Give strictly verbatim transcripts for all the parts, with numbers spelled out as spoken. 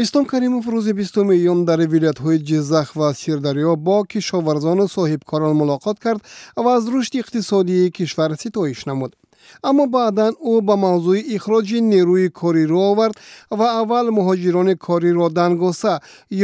Ислом Каримов рӯзи бистуми июн дар вилоятҳои Ҷиззах ва Сирдарё бо кишоварзону соҳибкорон мулоқот кард ва аз рушди иқтисодии кишвар ситоиш намуд. Аммо баъдан ӯ ба мавзӯи ихроҷи нерӯи корӣ рӯ овард ва аввал муҳоҷирони кориро дангоса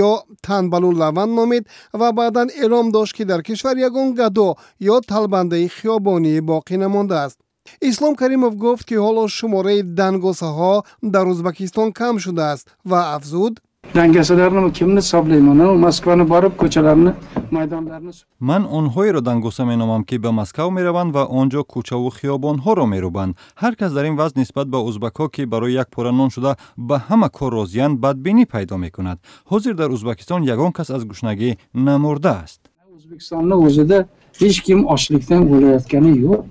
ё танбалу лаванд номид ва баъдан эълом дошт, ки дар кишвар ягон гадо ё талбандаи хиёбонӣ боқӣ намондааст. Ислом Каримов гуфт, ки ҳоло шумораи дангосаҳо дар Ӯзбекистон кам шудааст ва афзуд: Dangasalarni kimni hisoblayman? Moskvani borib, ko'chalarni, maydonlarni Ман онҳоеро дангоса меномам, ки ба Москав мераванд ва он ҷо кӯчаву хиёбонҳоро мерӯбанд. Ҳар кас дар ин вазъ нисбат ба узбакҳо, ки барои як пора нон шуда ба ҳама кор розиянд, бадбинӣ пайдо мекунад. Ҳозир дар Узбакистон ягон кас аз гушнагӣ намурдааст. O'zbekistonni o'zida hech kim ochlikdan o'layotgani yo'q.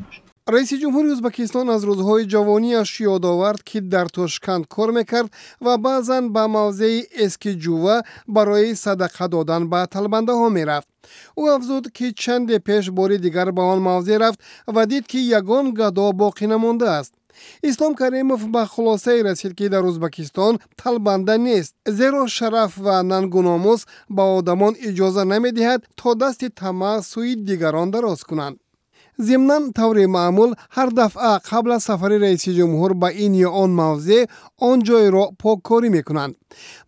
Раиси ҷумҳури Ӯзбекистон аз рӯзҳои ҷавониаш ёд овард, ки дар Тошканд кор мекард ва баъзан ба мавзеи Эскиҷува барои садақа додан ба талбандаҳо мерафт. Ӯ афзуд, ки чанде пеш бори дигар ба он мавзеъ рафт ва дид, ки ягон гадо боқӣ намондааст. Ислом Каримов ба хулосае расид, ки дар Ӯзбекистон талбанда нест, зеро шараф ва нангу номус ба одамон иҷоза намедиҳад, то дасти тамаъ сӯи дигарон дароз кунанд. Зимнан, таври маъмул, ҳар дафъа қабл аз сафари раиси ҷумҳур ба ин ё он мавзеъ он ҷойро поккорӣ мекунанд.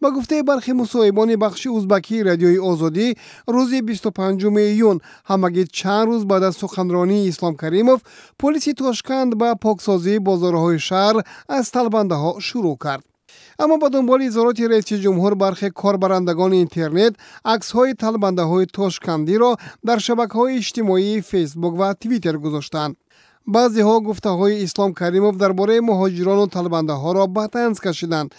Ба гуфтаи бархи мусоҳибони бахши узбакии Радиои Озодӣ, рӯзи бисту панҷуми июн, ҳамагӣ чанд рӯз баъд аз суханронии Ислом Каримов, полиси Тошканд ба поксозии бозорҳои шаҳр аз талбандаҳо шурӯъ кард. Аммо ба дунболи изҳороти раиси ҷумҳур бархе корбарандагони интернет аксҳои талбандаҳои тошкандиро дар шабакаҳои иҷтимоии Фейсбук ва Твиттер гузоштанд. Баъзеҳо гуфтаҳои Ислом Каримов дар бораи муҳоҷирону талбандаҳоро ба танз кашиданд.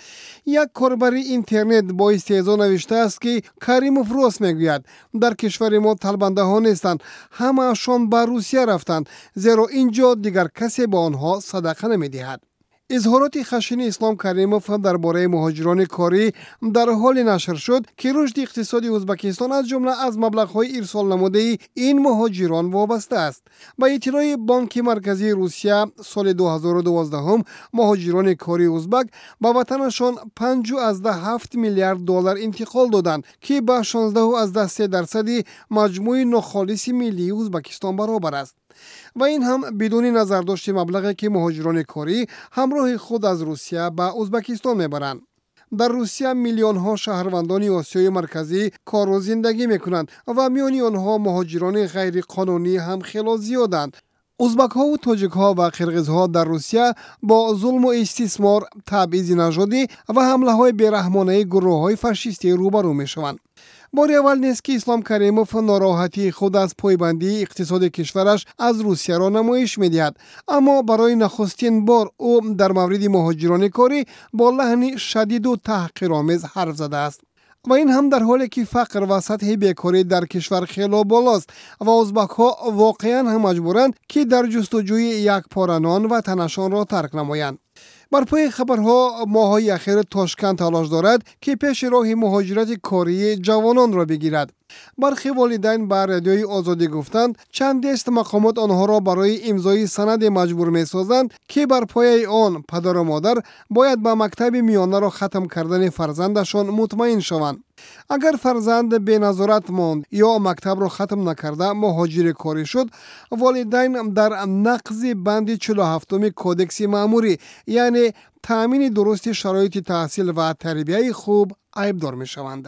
Як корбари интернет бо истеҳзо навиштааст, ки Каримов рост мегӯяд, дар кишвари мо талбандаҳо нестанд, ҳамаашон ба Русия рафтанд, зеро ин ҷо дигар касе ба онҳо садақа намедиҳад. Изҳороти хашини Ислом Каримов дар бораи муҳоҷирони корӣ дар ҳоле нашр шуд, ки рушди иқтисоди Ӯзбекистон аз ҷумла аз маблағҳои ирсолнамудаи ин муҳоҷирон вобаста аст. Ба иттилои Бонки Марказии Русия, соли ду ҳазору дувоздаҳум муҳоҷирони кории узбак ба ватанашон панҷ ҳафт миллиард доллар интиқол доданд, ки ба шонздаҳ се дарсади маҷмӯи нохолиси миллии Ӯзбекистон баробар аст. Ва ин ҳам бидуни назардошти маблағе, ки муҳоҷирони корӣ ҳамроҳи худ аз Русия ба Ӯзбекистон мебаранд. Дар Русия миллионҳо шаҳрвандони Осиёи Марказӣ кору зиндагӣ мекунанд ва миёни онҳо муҳоҷирони ғайриқонунӣ ҳам хело зиёданд. Узбакҳову тоҷикҳо ва қирғизҳо дар Русия бо зулму истисмор, табъизи нажодӣ ва ҳамлаҳои бераҳмонаи гурӯҳҳои фашистӣ рӯбарӯ мешаванд. Бори аввал нест, ки Ислом Каримов нороҳатии худ аз пойбандии иқтисоди кишвараш аз Русияро намоиш медиҳад, аммо барои нахустин бор ӯ дар мавриди муҳоҷирони корӣ бо лаҳни шадиду таҳқиромез ҳарф задааст. Ва ин ҳам дар ҳоле, ки фақр ва сатҳи бекорӣ дар кишвар хело болост ва узбакҳо воқеан ҳам маҷбуранд, ки дар ҷустуҷӯи як пора нон ватанашонро тарк намоянд. Бар пои хабарҳо, моҳҳои ахир Тошканд талош дорад, ки пеши роҳи муҳоҷирати кории ҷавононро бигирад. Бархи волидайн ба Радиои Озодӣ гуфтанд, чандест мақомот онҳоро барои имзои санаде маҷбур месозанд, ки бар пояи он падару модар бояд ба мактаби миёнаро хатм кардани фарзандашон мутмаин шаванд. Агар фарзанд беназорат монд ё мактабро хатм накарда муҳоҷири корӣ шуд, волидайн дар нақзи банди чилу ҳафтуми Кодекси маъмурӣ, яъне таъмини дурусти шароити таҳсил ва тарбияи хуб, айбдор мешаванд.